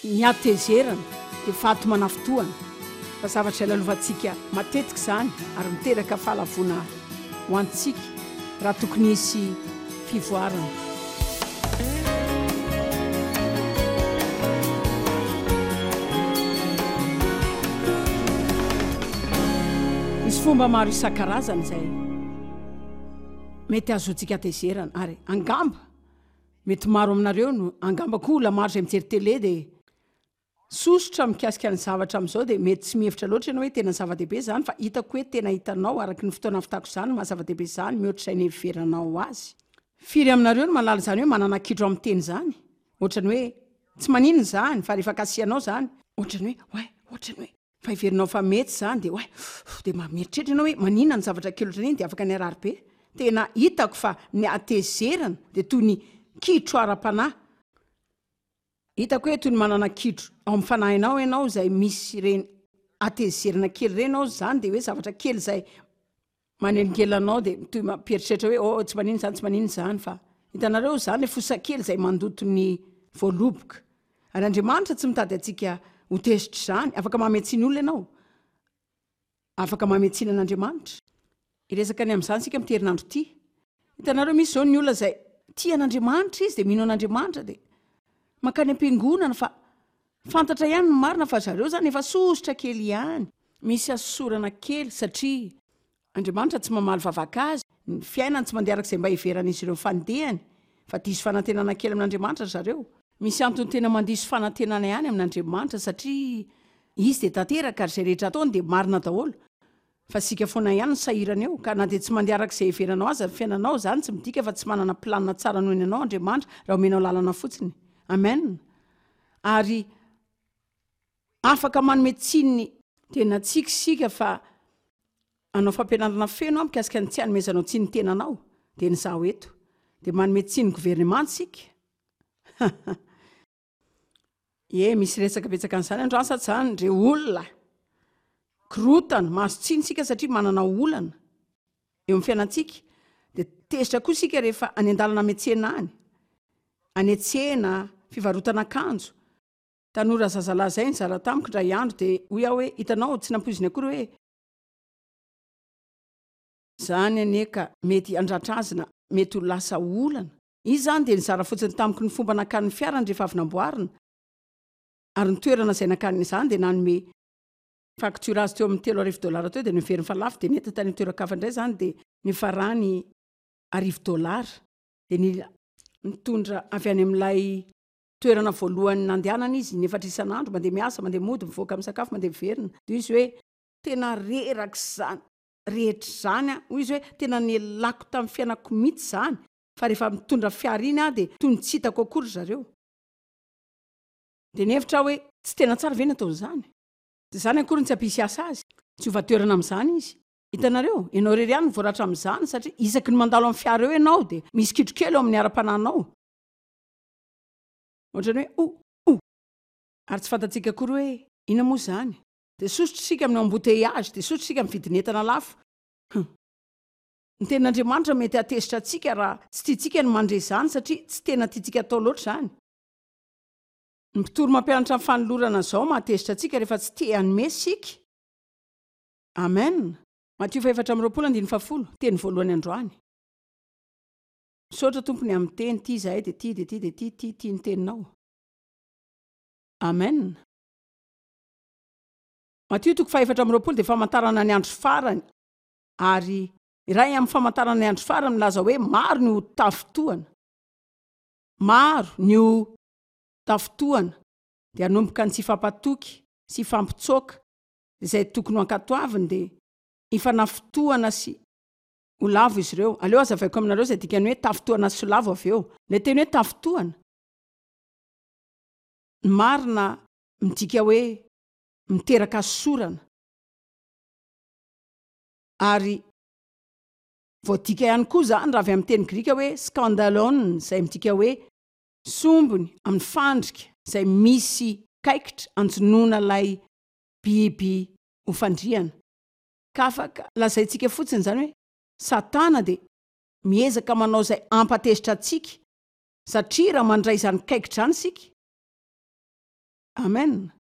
Ny hatezerana dia vato manafintohana, fa zavatra ilalovantsika matetika izany ary miteraka fahalavoana ho antsika raha tokony hisy fivoarana. Misy fomba maro isan-karazany izay mety hahazoantsika hatezerana ary angamba Mety maro aminareo no, angamba koa olona maro izay mijery télé dia sosotra mikasika ny zavatra amin'izao dia mety tsy mihevitra loatra ianao hoe tena zava-dehibe izany fa hitako hoe tena hitanao araky ny fotoana ahavitako izany ny maha zava-dehibe izany mihoatra izay niheveranao azy. Firy aminareo no mahalala izany hoe manana kitro amin'ny teny izany? Ohatran'ny hoe tsy maninona izany fa rehefa kasihanao izany, ohatran'ny hoe oay, ohatran'ny hoe. Fa heverinao fa mety izany dia oay dia mba mieritreritra ianao hoe maninona ny zavatra kely ohatran'iny dia afaka ny harary be. Tena hitako fa ny hatezerana dia toy ny kitro ara-panahy. Hitako hoe toy ny manana kitro ao amin'ny fanahinao ianao izay misy ireny hatezerana kely ireny ao izany dia hoe zavatra kely izay Manelingelina anao dia toy mampieritreritra hoe oh tsy maninona izany tsy maninona izany fa hitanareo izany ilay fosa kely izay mandoto ny voaloboka. Ary Andriamanitra tsy mitady antsika ho tezitra izany. Afaka mamehy tsiny olona ianao. Afaka mamehy tsiny an'Andriamanitra. Hiresaka ny amin'izany isika amin'ity herinandro ity. Hitanareo misy izao ny olona izay tia an'Andriamanitra izy dia mino an'Andriamanitra dia mankany am-piangonana fa fantatra ihany ny marina fa zareo izany efa sosotra kely ihany. Misy hasosorana kely satria Andriamanitra tsy mamaly vavaka azy, ny fiainany tsy mandeha araka izay mba heveran'izy ireo ny fandehany, fa diso fanantenana kely amin'Andriamanitra ry zareo. Misy antony tena mandiso fanantenana ihany amin'Andriamanitra satria Izy dia tanteraka ary izay rehetra ataony dia marina daholo, fa isika foana ihany no sahirana eo, ka na dia tsy mandeha araka izay heveranao aza ny fiainanao, izany tsy midika fa tsy manana planina tsara noho ny anao Andriamanitra raha omenao lalana fotsiny. Amen. Ary. Afaka manome tsiny ny tenantsika isika fa hanao fampianarana feno aho mikasika ny tsy hanomezanao tsiny ny tenanao, dia ny izaho eto. Dia manome tsiny ny governemanta isika. Ie, misy resaka betsaka an'izany androany sa tsy izany ry olona? Korotana, mahazo tsiny isika satria manana olana eo amin'ny fiainantsika. Dia tezitra koa isika rehefa any an-dalana miantsena any, any an-tsena, fivarotana akanjo. Tanora zazalahy izay nizara tamiko indray andro dia hoy aho hoe, hitanao, tsy nampoiziny akory hoe, izany anie ka mety handratra azy na mety ho lasa olana. Izy izany dia nizara fotsiny tamiko ny fomba nakany ny fiarany rehefa avy namboarina ary ny toerana izay nakany izany dia nanome facture azy teo amin'ny 3000 dollars teo dia noheveriny fa lafo dia nentiny tany amin'ny toeran-kafa indray izany dia nifarany arivo dollars dia nila nitondra avy any amin'ilay toerana voalohany nandehanana izy inefatra isan'andro, mandeha miasa, mandeha mody, mivoaka misakafo, mandeha miverina. Dia hoy izy hoe, tena reraka izany rehetra izany aho, hoy izy hoe, tena nialako tamin'ny fiainako mihitsy izany, fa rehefa mitondra fiara iny aho dia toy ny tsy hitako akory ry zareo. Dia nihevitra aho hoe, tsy tena tsara ve ny ataon'izany? Dia izany akory no tsy hampisy asa azy. Tsy hiova toerana amin'izany izy. Hitanareo? Ianao irery ihany no voaratra amin'izany, satria isaky ny mandalo amin'ny fiara eo ianao dia misy kitro kely ao amin'ny ara-panahinao. Ohatran'ny hoe o! O! Ary tsy fantatsika akory hoe inona moa izany. Dia sosotra isika amin'ny embouteillage, dia sosotra isika amin'ny vidin'entana lafo. Hum. Ny tenin'Andriamanitra mety hahatezitra antsika raha tsy tiantsika ny mandre izany satria tsy tena tiantsika atao loatra izany. Ny mpitory mampianatra ny fanolorana izao mahatezitra antsika rehefa tsy te hanome isika. Amen. Matio faha-24 andininy fahafolo, teny voalohany androany. Misaotra Tompo ny amin'ny teny, tia izahay dia tia dia tia dia tia tia tia ny teninao. Amen. Matio toko faha-24 dia famantarana ny andro farany ary iray amin'ny famantarana ny andro farany milaza hoe maro ny ho tafintohana. Maro ny ho tafintohana dia hanomboka ny tsy hifampatoky sy hifampitsoaka izay tokony ho ankatoaviny dia hifanafintohana sy Ho lavo izy ireo. Aleo hazavaiko aminareo izay dikan'ny hoe tafintohana sy lavo avy eo. Ilay teny hoe tafintohana, ny marina midika hoe miteraka hasosorana. Ary voadika ihany koa izany raha avy amin'ny teny grika hoe skandalon izay midika hoe sombiny amin'ny fandrika izay misy kaikitra anjonoana ilay biby ho fandrihana. Ka afaka lazaintsika fotsiny izany hoe Satana dia miezaka manao izay hampatezitra antsika, satria raha mandray izany kaikitra izany isika. Amen!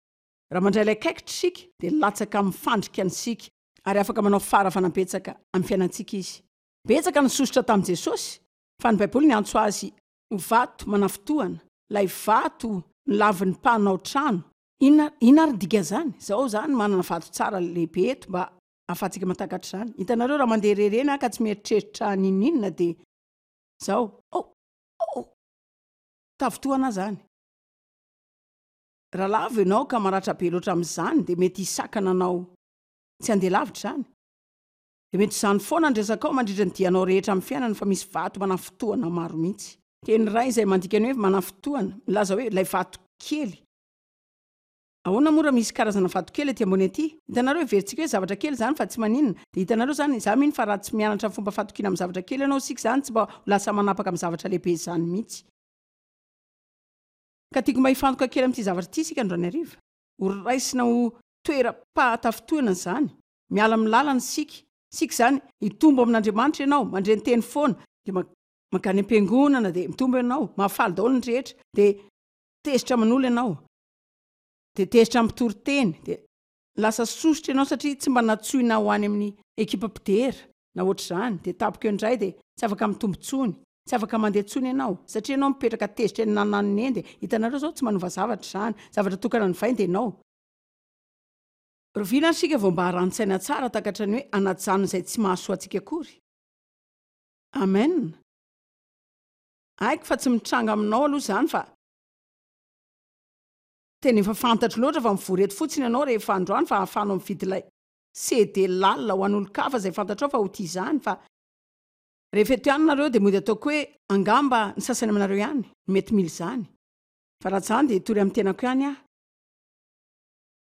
Raha mandray ilay kaikitra isika dia latsaka amin'ny fandrika ny isika ary afaka manao faharavana betsaka amin'ny fiainantsika izy. Betsaka ny sosotra tamin'i Jesosy fa ny Baiboly niantso azy ho vato manafintohana, ilay vato nolavin'ny mpanao trano. Inona, inona ary ny dikan'izany? Izao izany manana vato tsara lehibe eto mba ahafahantsika mahatakatra izany. Hitanareo raha mandeha irery eny aho ka tsy mieritreritra n'inon'inona dia izao, oh, oh, tafintohana aho izany. Raha lavo ianao ka maratra be loatra amin'izany dia mety hisakana anao tsy handeha lavitra izany. Dia mety ho izany foana ny resakao mandritra ny dianao rehetra amin'ny fiainana fa misy vato manafintohana maro mihitsy. Teny iray izay mandika ny hoe manafintohana, milaza hoe ilay vato kely. Ahoana moa raha misy karazana vato kely aty ambony aty? Hitanareo, heverintsika hoe zavatra kely izany fa tsy maninona. Dia hitanareo izany, izaho mino fa raha tsy mianatra ny fomba fatokiana amin'ny zavatra kely ianao isika izany tsy mba ho lasa manapaka amin'ny zavatra lehibe izany mihitsy. Ka tiako mba hifantoka kely amin'ity zavatra ity isika androany hariva. Ho raisina ho toeram-pahatafintohina izany. Miala amin'ny lalana isika. Isika izany, hitombo amin'Andriamanitra ianao, mandre ny teny foana, dia mankany am-piangonana, dia mitombo ianao, mahafaly daholo ny rehetra, dia tezitra aman'olona ianao, dia tezitra amin'ny mpitory teny, dia lasa sosotra ianao satria tsy mba nantsoina ho any amin'ny ekipa mpidera na ohatr'izany, dia tampoka eo indray dia tsy afaka mitombo intsony. Tsy afaka mandeha intsony ianao, satria ianao mipetraka tezitra eny nananona eny dia hitanareo izao tsy manova zavatra izany, zavatra tokana novainy dia ianao. Rahoviana ary isika vao mba haran-tsaina tsara takatra ny hoe hanajanona izay tsy mahasoa antsika akory? Amen. Haiko fa tsy mitranga aminao aloha izany fa tena efa fantatro loatra fa mivory eto fotsiny ianao rehefa androany fa ahafahanao mividy ilay CD lalina ho an'olon-kafa izay fantatrao fa ho tia izany fa Rehefa eto ihany nareo dia mody ataoko hoe angamba ny sasany aminareo ihany no mety mila izany. Fa raha tsy izany dia hitory amin'ny tenako ihany aho.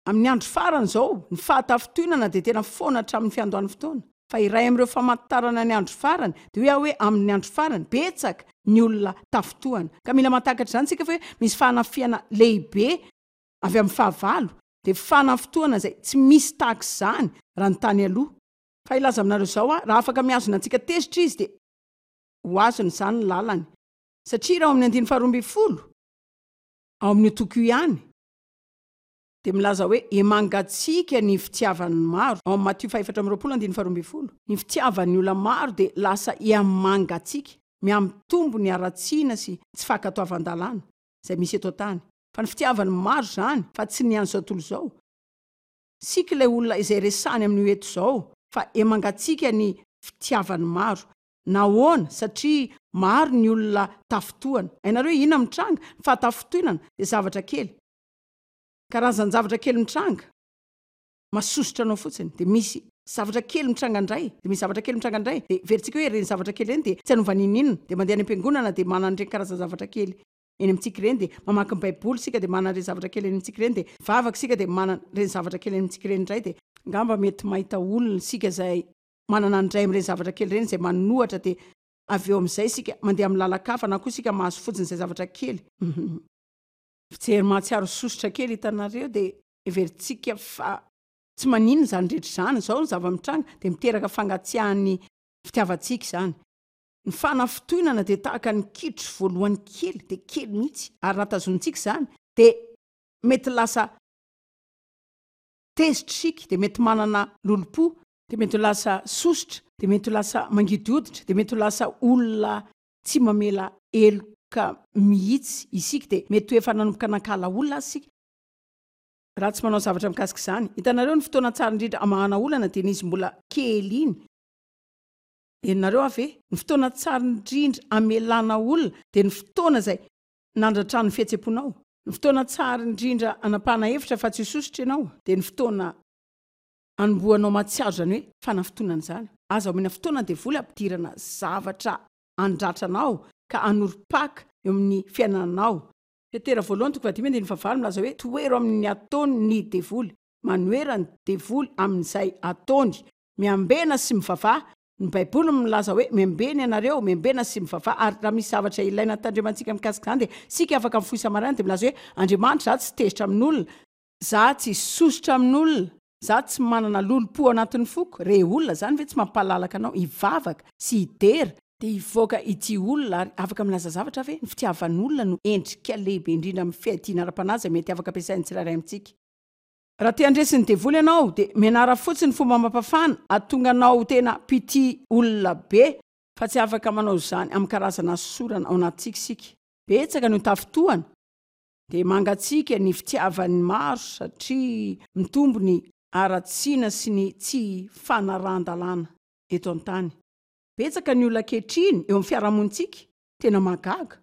Amin'ny andro farany izao, ny fahatafintohinana dia tena foana hatramin'ny fiandohan'ny fotoana. Fa iray amin'ireo famantarana ny andro farany, dia hoy aho hoe amin'ny andro farany, betsaka ny olona tafintohana. Ka mila mahatakatra izany isika fa hoe misy fanafihana lehibe avy amin'ny fahavalo, dia fanafintohana izay tsy misy tahaka izany raha ny tany aloha. Fa hilaza aminareo izao aho, raha afaka mihazona antsika tezitra izy, dia ho azony izany ny lalany. Satria raha ao amin'ny andininy faharoa ambinifolo, ao amin'io toko io ihany, dia milaza hoe, Emangatsiaka ny fitiavan'ny maro. Ao amin'ny Matio fahefatra amby 20 andininy faharoa ambinifolo, ny fitiavan'ny olona maro dia lasa hihamangatsiaka, mihamitombo ny haratsiana sy tsy fankatoavan-dalàna izay misy eto an-tany. Fa ny fitiavan'ny maro izany, fa tsy ny an'izao tontolo izao. Tsika ilay olona izay resahany amin'io eto izao fa emangatsiaka ny fitiavan'ny maro. Nahoana? Satria maro ny olona tafintohana. Hainareo hoe inona mitranga? Ny fahatafintohinana dia zavatra kely. Karazan-javatra kely mitranga, masosotra anao fotsiny. Dia misy zavatra kely mitranga indray, dia misy zavatra kely mitranga indray. Dia heverintsika hoe ireny zavatra kely ireny dia tsy hanova n'inon'inona. Dia mandeha any am-piangonana dia manana an'ireny karazan-javatra kely eny amintsika ireny dia mamaky ny baiboly isika dia manana ireny zavatra kely eny amintsika ireny dia mivavaka isika dia manana ireny zavatra kely eny amintsika ireny indray dia angamba mety mahita olona isika izay manana ny iray amin'ireny zavatra kely ireny izay manohatra dia avy eo amin'izay isika mandeha amin'ny lalan-kafa na koa isika mahazo fotsiny izay zavatra kely fijery mahatsiaro sosotra kely hitanareo dia heverintsika fa tsy maninona izany rehetra izany izao ny zava-mitranga dia miteraka fangatsiahan'ny fitiavantsika izany Ny fanafintohinana dia tahaka ny kitro voalohany kely, dia kely mihitsy, ary raha tazonintsika izany dia mety lasa tezitra isika, dia mety manana lolompo, dia mety ho lasa sosotra, dia mety ho lasa mangidy hoditra, dia mety ho lasa olona tsy mamela heloka mihitsy isika, dia mety ho efa nanomboka nankahala olona aza isika, raha tsy manao zavatra mikasika izany. Hitanareo, ny fotoana tsara indrindra hamahana olana dia ny izy mbola kely iny. Henonareo aho ve? Ny fotoana tsara indrindra hamelana olona dia ny fotoana izay nandratrany ny fihetsem-ponao. Ny fotoana tsara indrindra hanapahana hevitra fa tsy ho sosotra ianao dia ny fotoana hanombohanao mahatsiaro izany hoe fanafintohinana izany. Aza omena fotoana ny devoly hampidirana zavatra handratra anao ka hanorim-paka eo amin'ny fiainanao. Petera voalohany toko fahadimy andininy fahavalo milaza hoe tohero amin'ny ataony ny devoly, manohera ny devoly amin'izay ataony. Miambena sy mivavaha. Ny Baiboly milaza hoe, Miambena ianareo, miambena sy mivavaha. Ary raha misy zavatra ilaina tandremantsika mikasika izany dia isika afaka mifoha isa-maraina dia milaza hoe, Andriamanitra, izaho tsy tezitra amin'olona, izaho tsy sosotra amin'olona, izaho tsy manana lolompo ao anatin'ny foko. Re olona, izany ve tsy mampalalaka anao hivavaka sy hidera? Dia hivoaka ity olona ary afaka milaza zavatra ve? Ny fitiavan'olona no endrika lehibe indrindra amin'ny fiadiana ara-panahy izay mety afaka ampiasain'ny tsirairay amintsika. Raha te handresy ny devoly ianao dia mianara fotsiny fomba mampafana hahatonga anao ho tena mpitia olona be fa tsy afaka manao izany amin'ny karazana hasosorana ao anatintsika isika. Betsaka no tafintohana dia mangatsiaka ny fitiavan'ny maro satria mitombo ny haratsiana sy ny tsy fanarahan-dalàna eto an-tany. Betsaka ny olona ankehitriny eo amin'ny fiarahamonintsika tena mahagaga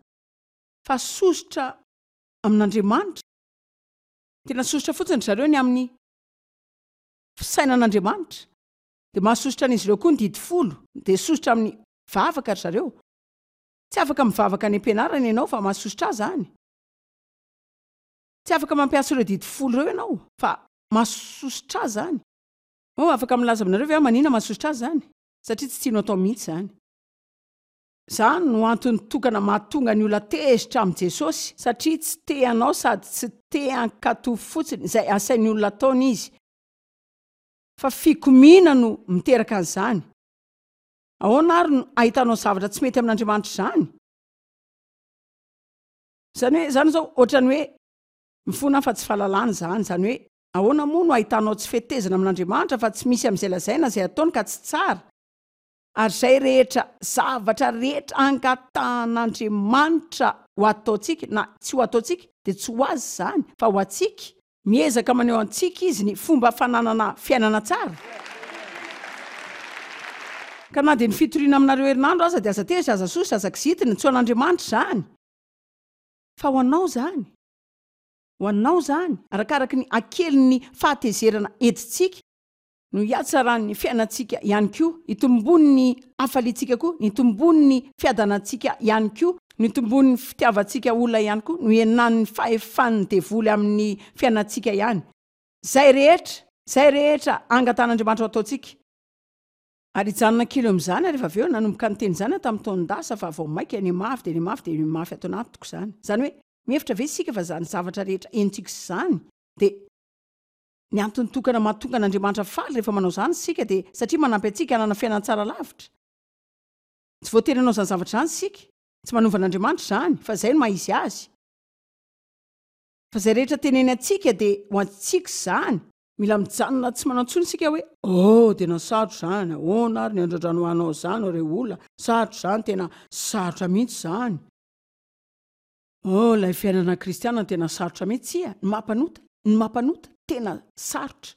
fa sosotra amin'Andriamanitra. Tena sosotra fotsiny ry zareo ny amin'ny fisainan'Andriamanitra. Dia mahasosotra an'izy ireo koa ny didy folo. Dia sosotra amin'ny vavaka ry zareo. Tsy afaka mivavaka any am-pianarana ianao fa mahasosotra ahy izany. Tsy afaka mampiasa ireo didy folo ireo ianao fa mahasosotra ahy izany. Oh, afaka milaza aminareo ve aho manina mahasosotra ahy izany? Satria tsy tianao atao mihitsy izany. Izany no antony tokana mahatonga ny olona tezitra amin'i Jesosy, satria tsy te hanao sady tsy te hankatò fotsiny izay asain'ny olona ataony izy. Fa fikomiana no miteraka an'izany. Ahoana àry no ahitanao zavatra tsy mety amin'Andriamanitra izany? Izany hoe, izany izao ohatran'ny hoe mifona aho fa tsy fahalalana izany. Izany hoe, ahoana moa no ahitanao tsy fetezana amin'Andriamanitra fa tsy misy amin'izay lazaina izay ataony ka tsy tsara? Ary izay rehetra zavatra rehetra angatahan'Andriamanitra ho ataontsika na tsy ho ataontsika dia tsy ho azy izany fa ho antsika. Miezaka maneho antsika izy ny fomba fananana fiainana tsara. Ka na dia ny fitoriana aminareo herinandro aza dia aza tezitra, aza sosotra, aza kizitina, tsy ho an'Andriamanitra izany fa ho anao izany. Ho anao izany, arakaraky ny hakelin'ny fahatezerana entintsika no hihatsaran'ny fiainantsika ihany koa, hitomboan'ny hafaliantsika koa, ny hitomboan'ny fiadanantsika ihany koa, ny hitomboan'ny fitiavantsika olona ihany koa, no hihenan'ny fahefan'ny devoly amin'ny fiainantsika ihany. Izay rehetra, izay rehetra angatahan'Andriamanitra ho ataontsika. Ary hijanona kely eo amin'izany aho rehefa avy eo, nanomboka niteny izany aho tamin'ny taon-dasa fa vao mainka nihamafy dia nihamafy dia nihamafy ato anatiko izany. Izany hoe, mihevitra ve isika fa izany zavatra rehetra henontsika izany dia. Ny antony tokana mahatonga an'Andriamanitra faly rehefa manao izany isika dia satria manampy antsika hanana fiainana tsara lavitra. Tsy voatery hanao izany zavatra izany isika. Tsy manova an'Andriamanitra izany, fa izay no maha izy azy. Fa izay rehetra teneny antsika dia ho antsika izany. Mila mijanona tsy manao intsony isika hoe, Oh, tena sarotra izany, ahoana ary ny andrandranoanao izany ry olona, sarotra izany, tena sarotra mihitsy izany. Oh, ilay fiainana kristiana tena sarotra mihitsy, tsia, ny maha-mpanota, ny maha-mpanota tena sarotra.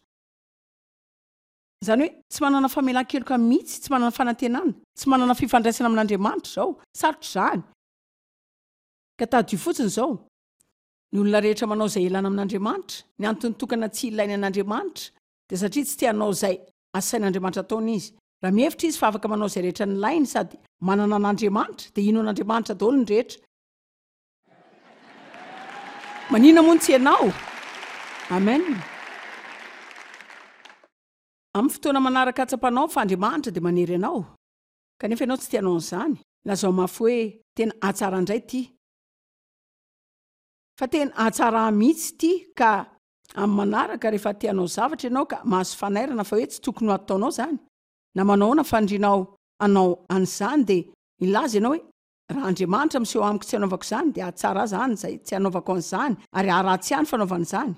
Izany hoe tsy manana famelan-keloka mihitsy, tsy manana fanantenana, tsy manana fifandraisana amin'Andriamanitra izao, sarotra izany. Ka tadidio fotsiny izao, ny olona rehetra manao izay ilana amin'Andriamanitra, ny antony tokana tsy ilainy an'Andriamanitra dia satria tsy te hanao izay asain'Andriamanitra ataony izy. Raha mihevitra izy fa afaka manao izay rehetra nilainy sady manana an'Andriamanitra, dia hino an'Andriamanitra daholo ny rehetra. Maninona moa no tsy ianao? Amen. Amin'ny fotoana manaraka hatsapanao fa Andriamanitra dia manery anao, kanefa ianao tsy te hanao an'izany, lazao mafy hoe, Tena hahatsara indray ity. Fa tena hahatsara ahy mihitsy ity ka amin'ny manaraka rehefa te hanao zavatra ianao ka mahazo fanairana fa hoe tsy tokony ho ataonao izany, na manao ahoana fanirianao hanao an'izany dia milaza ianao hoe raha Andriamanitra miseho amiko tsy hanaovako izany dia hahatsara ahy izany izay tsy hanaovako an'izany ary haharatsy ahy ny fanaovana izany.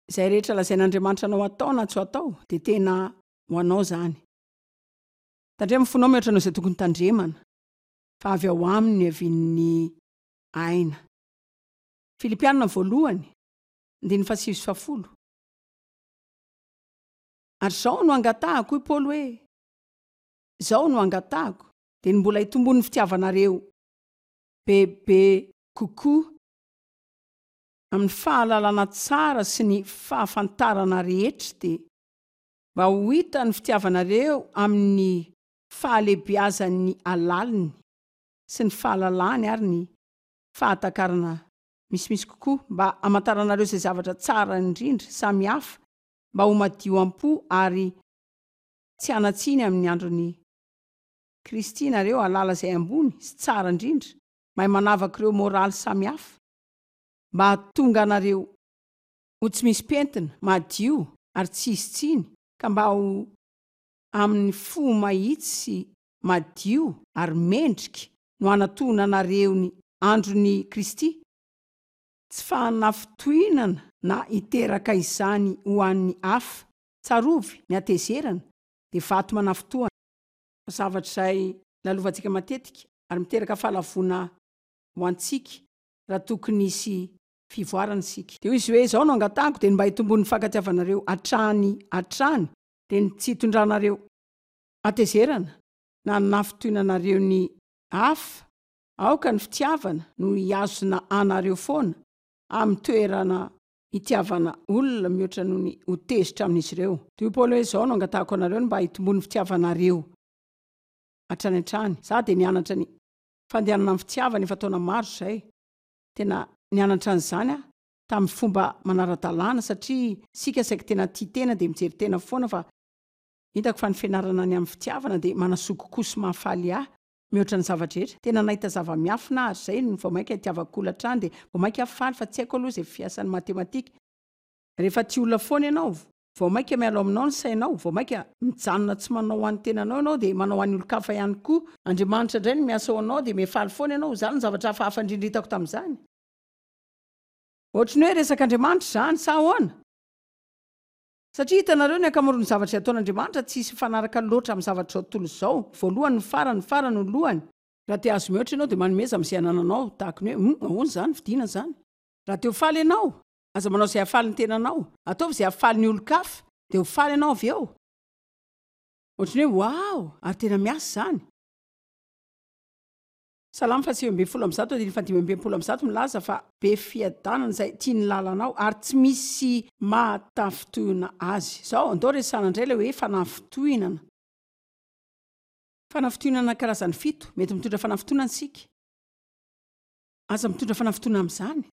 Izay rehetra lazain'Andriamanitra anao hatao na tsy ho atao dia tena ho anao izany. Tandremo ny fonao mihoatra noho izay tokony tandremana fa avy ao aminy no iavian'ny aina. Filipiana voalohany, andininy fahasivy sy fahafolo. Ary izao no angatahako, hoy Paoly hoe, izao no angatahako, dia ny mbola hitombon'ny fitiavanareo bebe kokoa amin'ny fahalalana tsara sy ny fahafantarana rehetra, dia mba ho hita ny fitiavanareo amin'ny fahalehibeazan'ny alaliny sy ny fahalalany ary ny fahatakarana misimisy kokoa mba hamantaranareo izay zavatra tsara indrindra samy hafa mba ho madio am-po ary tsy hanan-tsiny amin'ny andron'i Kristy nareo hahalala izay ambony sy tsara indrindra, mahay manavaka ireo moraly samy hafa mba hahatonga anareo ho tsy misy pentina, madio ary tsy hisy tsiny ka mba ho amin'ny fo mahitsy sy. madio ary mendrika no hanatohonanareo ny andron'i Kristy, tsy fahanafintohinana na hiteraka izany ho an'ny hafa. Tsarovy, ny hatezerana dia vato manafintohana. Zavatra izay lalovantsika matetika ary miteraka fahalavoana ho antsika raha tokony hisy fivoarana isika. Dia hoy izy hoe, Izao no angatahako, dia ny mba hitomboan'ny fankatiavanareo hatrany hatrany, dia ny tsy hitondranareo hatezerana na hanafintohinanareo ny hafa, aoka ny fitiavana no hihazona anareo foana amin'ny toerana hitiavana olona mihoatra noho ny ho tezitra amin'izy ireo. Dia hoy Paoly hoe, Izao no angatahako anareo, ny mba hitomboan'ny fitiavanareo hatrany hatrany. Izaho dia nianatra ny fandehanana amin'ny fitiavana efa taona maro izay. Tena nianatra an'izany aho tamin'ny fomba manara-dalàna satria isika saiky tena tia tena dia mijery tena foana fa hitako fa ny fianarana ny amin'ny fitiavana dia manasoa kokoa sy mahafaly ahy mihoatra ny zava-drehetra. Tena nahita zava-miafina aho ary izay no vao mainka itiavako olona hatrany dia vao mainka aho faly fa tsy haiko aloha izay fiasan'ny matematika. Rehefa tia olona foana ianao, vao mainka miala ao aminao ny sainao, vao mainka mijanona tsy manao ho an'ny tenanao ianao dia manao ho an'ny olon-kafa ihany koa. Andriamanitra indray no miasa ao anao dia mihafaly foana ianao. Izany no zavatra hafahafa indrindra hitako tamin'izany. Ohatry ny hoe resak'Andriamanitra izany, sa ahoana? Satria hitanareo, ny ankamaroan'ny zavatra izay ataon'Andriamanitra tsy hisy mifanaraka loatra amin'ny zavatr'izao tontolo izao, voalohany no farany, ny farany no lohany. Raha te hahazo mihoatra ianao dia manomeza amin'izay anananao, tahaka ny hoe, hum, ahoana izany, vidiana izany. Raha te ho faly ianao, aza manao izay hahafaly ny tenanao, ataovy izay hahafaly ny olon-kafa, dia ho faly ianao avy eo. Ohatry ny hoe, wow, ary tena miasa izany. Salamo faha-119 andininy faha-165 milaza fa be fiadanana izay tia ny lalanao ary tsy misy mahatafintohina azy. Izao, andao resahana indray ilay hoe fanafintohinana. Fanafintohinana karazany fito. Mety mitondra fanafintohinana isika. Aza mitondra fanafintohinana amin'izany.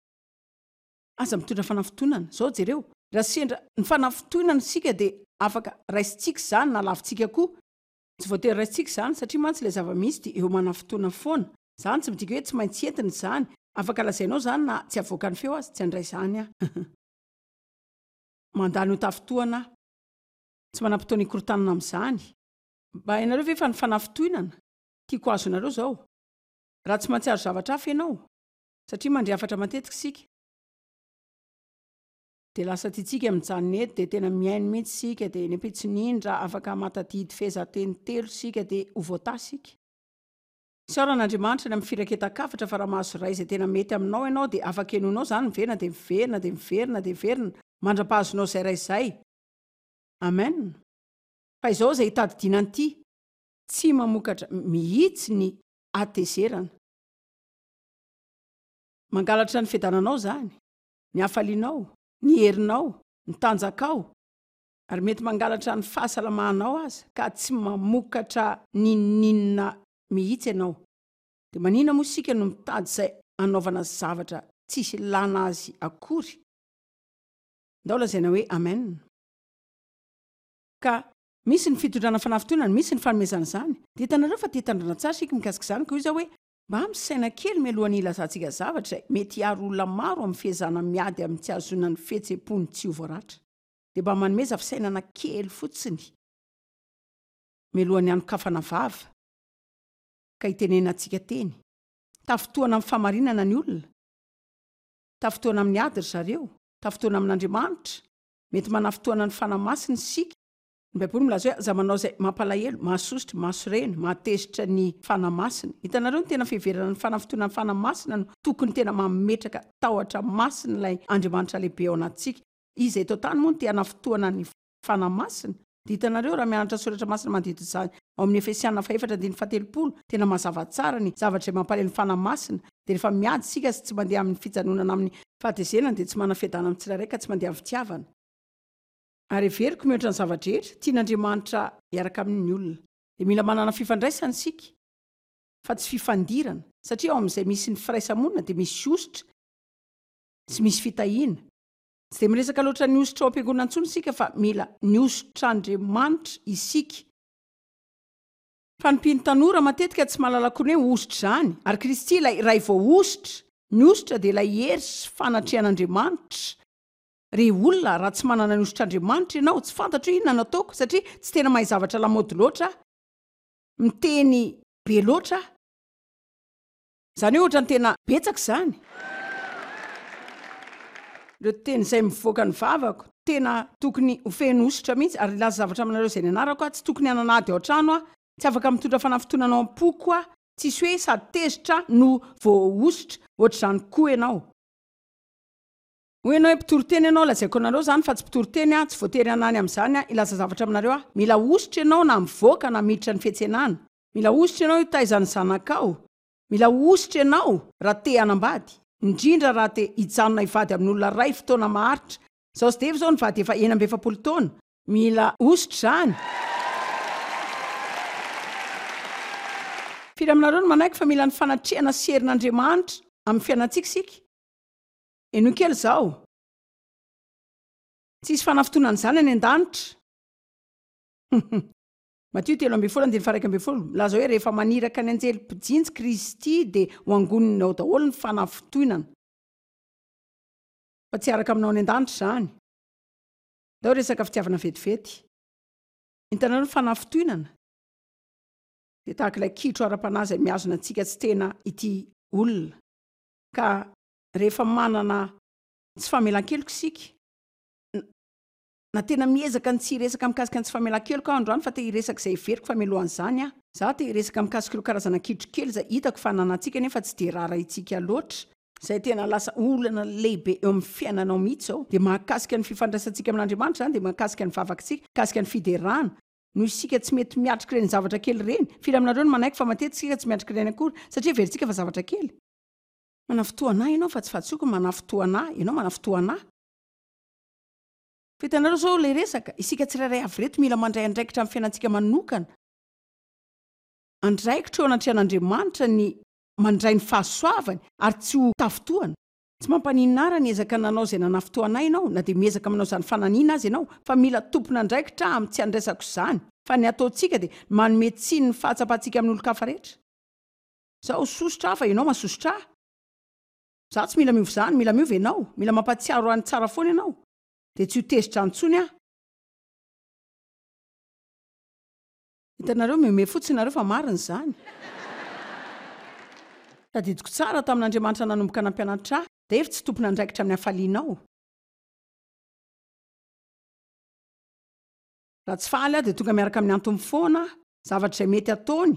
Aza mitondra fanafintohinana. Izao jereo, raha sendra ny fanafintohinana isika dia afaka raisintsika izany na lavintsika koa. Tsy voatery raisintsika izany satria mantsy ilay zava-misy dia eo manafintohina foana. Izany tsy midika hoe tsy maintsy entina izany. Afaka lazainao izany na tsy avoakan'ny feo aza, tsy handray izany aho. Mandà ny ho tafintohana aho. Tsy manam-potoana hikorontanana amin'izany. Mba hainareo ve fa ny fanafintohinana, tiako azonareo izao, raha tsy mahatsiaro zavatra hafa ianao, satria mandre hafatra matetika isika, Dia lasa tiantsika mijanona eto dia tena mihaino mihitsy isika dia ny ampitson'iny raha afaka mahatadidy fehezanteny telo isika dia ho voatahy isika. Isaorana Andriamanitra ny amin'ny firaketan-kafatra fa raha mahazo iray izay tena mety aminao ianao dia afaka henoinao izany miverina dia miverina dia miverina dia miverina mandra-pahazonao izay iray izay. Amen. Fa izao izay hitadidiana an'ity, tsy mamokatra mihitsy ny hatezerana. Mangalatra ny fiadananao izany. ny hafalianao, ny herinao, ny tanjakao, ary mety mangalatra ny fahasalamanao aza ka tsy mamokatra n'inon'inona mihitsy ianao. Dia maninona moa isika no mitady izay hanaovana zavatra tsisy ilana azy akory? Ndao lazaina hoe Amen. Ka misy ny fitondrana fanafintohinana, misy ny fanomezana izany. Dia hitanareo fa te hitandrina tsara isika mikasika izany, ka hoy izaho hoe, Mba misaina kely mialohan'ny hilazantsika zavatra izay mety hiaro olona maro amin'ny fiezahana miady amin'ny tsy hahazoana ny fihetseham-pony tsy ho voaratra. Dia mba manomeza fisainana kely fotsiny mialohan'ny hanokafana vava ka hitenenantsika teny. Tafintohana amin'ny fahamarinana ny olona. Tafintohana amin'ny ady ry zareo. Tafintohana amin'Andriamanitra. Mety manafintohana ny Fanahy Masina isika. Ny Baiboly milaza hoe aza manao izay mampalahelo, mahasosotra, mahasorena, mahatezitra ny Fanahy Masina. Hitanareo ny tena fiheverana ny fanafintohinan'ny Fanahy Masina no tokony tena mametraka tahotra masina ilay Andriamanitra lehibe ao anatintsika. Iza eto an-tany moa no te hanafintohana ny Fanahy Masina? Dia hitanareo raha mianatra Soratra Masina manodidina izany ao amin'ny Efesiana fahefatra andininy fahatelopolo, tena mazava tsara ny zavatra izay mampalahelo ny Fanahy Masina. Dia rehefa miady isika sy tsy mandeha amin'ny fijanonana amin'ny fahatezerana dia tsy manana fiadanana amin'ny tsirairay ka tsy mandeha amin'ny fitiavana. Ary heveriko mihoatra ny zava-drehetra, tian'Andriamanitra hiaraka aminy ny olona. Dia mila manana fifandraisana isika, fa tsy fifandirana, satria ao amin'izay misy ny firaisa-monina dia misy hosotra sy misy fitahiana. Tsy dia miresaka loatra ny hosotra ao am-piangonana intsony isika fa mila ny hosotr'Andriamanitra isika. Fa ny mpino tanora matetika tsy mahalala akory ny hoe hosotra izany, ary Kristy ilay iray voahosotra. Ny hosotra dia ilay hery sy fanatrehan'Andriamanitra. Ry olona, raha tsy manana ny hosotr'Andriamanitra ianao, tsy fantatro hoe inona no ataoko, satria tsy tena mahay zavatra lamaody loatra aho. Miteny be loatra aho. Izany hoe ohatran'ny tena betsaka izany. Ireo teny izay mivoaka ny vavako, tena tokony ho feno hosotra mihitsy, ary hilaza zavatra aminareo izay nianarako aho, tsy tokony hanana ady ao an-trano aho, tsy afaka mitondra fanafintohinana ao am-poko aho, tsisy hoe sady tezitra no voahosotra, ohatr'izany koa ianao. Hoy ianao hoe mpitory teny ianao, lazaiko anareo izany fa tsy mpitory teny aho, tsy voatery hanany amin'izany aho, hilaza zavatra aminareo aho, mila hosotra ianao na mivoaka na miditra ny fiantsenana. Mila hosotra ianao hitaiza ny zanakao. Mila hosotra ianao raha te hanambady, indrindra raha te hijanona hivady amin'olona iray fotoana maharitra. Izaho sy Dave izao nivady efa 46 taona. Mila hosotra izany. Firy aminareo no manaiky fa mila ny fanatrehana sy herin'Andriamanitra amin'ny fiainantsika isika? Henoy kely izao. Tsy hisy fanafintohinana izany any an-danitra. Matio 13 andininy faha 11, milaza hoe rehefa maniraka ny anjely mpijinjy Kristy dia ho angoniny ao daholo ny fanafintohinana. Fa tsy hiaraka aminao any an-danitra izany. Ndao resaka fitiavana vetivety. Hitanareo ny fanafintohinana dia tahaka ilay kitro ara-panahy izay mihazona antsika tsy tena ity olona. Ka rehefa manana tsy famelan-keloka isika, Na tena miezaka ny tsy hiresaka mikasika ny tsy famelan-keloka aho androany fa te hiresaka izay heveriko fa mialohan'izany aho. Za te hiresaka mikasika ireo karazana kitro kely izay hitako fa ananantsika nefa tsy dia raharahintsika loatra, izay tena lasa olana lehibe eo amin'ny fiainanao mihitsy izao, dia mahakasika ny fifandraisantsika amin'Andriamanitra izany, dia mahakasika ny vavakitsika, mikasika ny fiderana, noho isika tsy mety miatrika ireny zavatra kely ireny. Firy aminareo no manaiky fa matetika isika tsy miatrika ireny akory satria heverintsika fa zavatra kely? Manafintohana ahy ianao fa tsy fahadisoako ny manafintohana ahy, ianao manafintohana ahy. Fa hitanareo zao ilay resaka, isika tsirairay avy ireto mila mandray andraikitra amin'ny fiainantsika manokana. Andraikitra eo anatrehan'Andriamanitra ny mandray ny fahasoavany ary tsy ho tafintohana. Tsy mampaninona ahy raha niezaka nanao izay nanafintohana ahy ianao na dia miezaka manao izany fananiana aza ianao fa mila tompon'andraikitra aho amin'ny tsy handraisako izany fa ny ataontsika dia manome tsiny ny fahatsapantsika amin'ny olon-kafa rehetra. Izaho sosotra aho fa ianao masosotra ahy. Izaho tsy mila miova izany, mila miova ianao, mila mampahatsiaro ahy ny tsara foana ianao. Dia tsy ho tezitra intsony aho. Hitanareo, mihomehy fotsiny nareo fa marina izany. Tadidiko tsara tamin'Andriamanitra nanomboka nampianatra ahy, Dave tsy tompon'andraikitra amin'ny hafalianao. Raha tsy faly aho dia tonga miaraka amin'ny antony foana aho, zavatra izay mety ataony.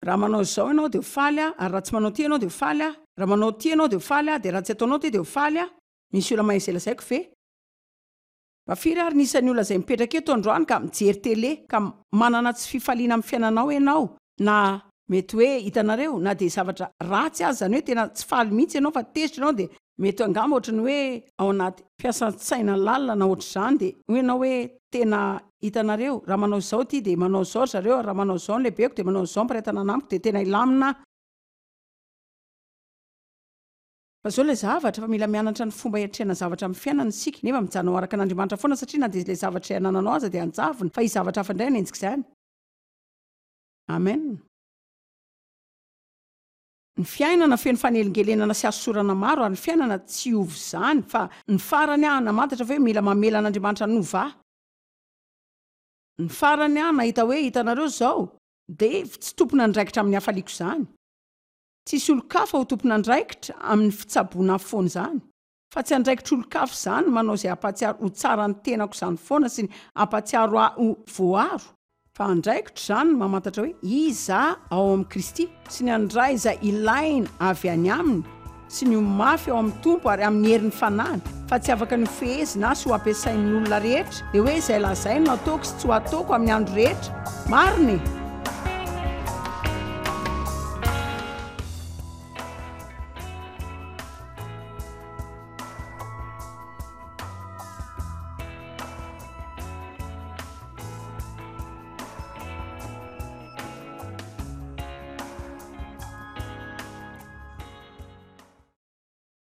Raha manao izao ianao dia ho faly aho, ary raha tsy manao ity ianao dia ho faly aho, raha manao ity ianao dia ho faly aho, dia raha tsy ataonao ity dia ho faly aho. Misy olona mahay izay lazaiko ve? Mba firy ary ny isan'ny olona izay mipetraka eto androany ka mijery tele ka manana tsy fifaliana amin'ny fiainanao ianao na mety hoe hitanareo na dia zavatra ratsy aza izany hoe tena tsy faly mihitsy ianao fa tezitra ianao dia mety angamba ohatry ny hoe ao anaty fiasan-tsaina lalina na ohatr'izany dia hoy ianao hoe tena hitanareo raha manao izao ity dia manao izao ry zareo ary raha manao izao ny lehibeko dia manao izao ny mpiray tanàna amiko dia tena hilamina aho. Fa zao ilay zavatra, fa mila mianatra ny fomba hiatrehana zavatra amin'ny fiainana isika, nefa mijanona ho araka an'Andriamanitra foana satria na dia ilay zavatra izay anananao aza dia hanjavona, fa hisy zavatra hafa indray hanenjika izany. Amen. Ny fiainana feno fanelingelenana sy hasosorana maro ary ny fiainana tsy hiova izany, fa ny farany aho namantatra fa hoe mila mamela an'Andriamanitra hanova ahy. Ny farany aho nahita hoe hitanareo izao, Dave tsy tompon'andraikitra amin'ny hafaliako izany. Tsisy olon-kafa ho tompon'andraikitra amin'ny fitsaboana ahy foana izany, fa tsy andraikitr'olon-kafa izany ny manao izay hampahatsiaro ho tsara ny tenako izany foana sy ny hampahatsiaro ahy ho voaro, fa andraikitro izany ny mamantatra hoe iza aho ao amin'i Kristy, sy ny handray izay ilaina avy any Aminy, sy ny ho mafy ao amin'ny Tompo ary amin'ny herin'ny Fanahiny, fa tsy afaka ny ho fehezina sy ho ampiasain'ny olona rehetra, dia hoe izay lazainy no ataoko sy tsy ho ataoko amin'ny andro rehetra. Marina e!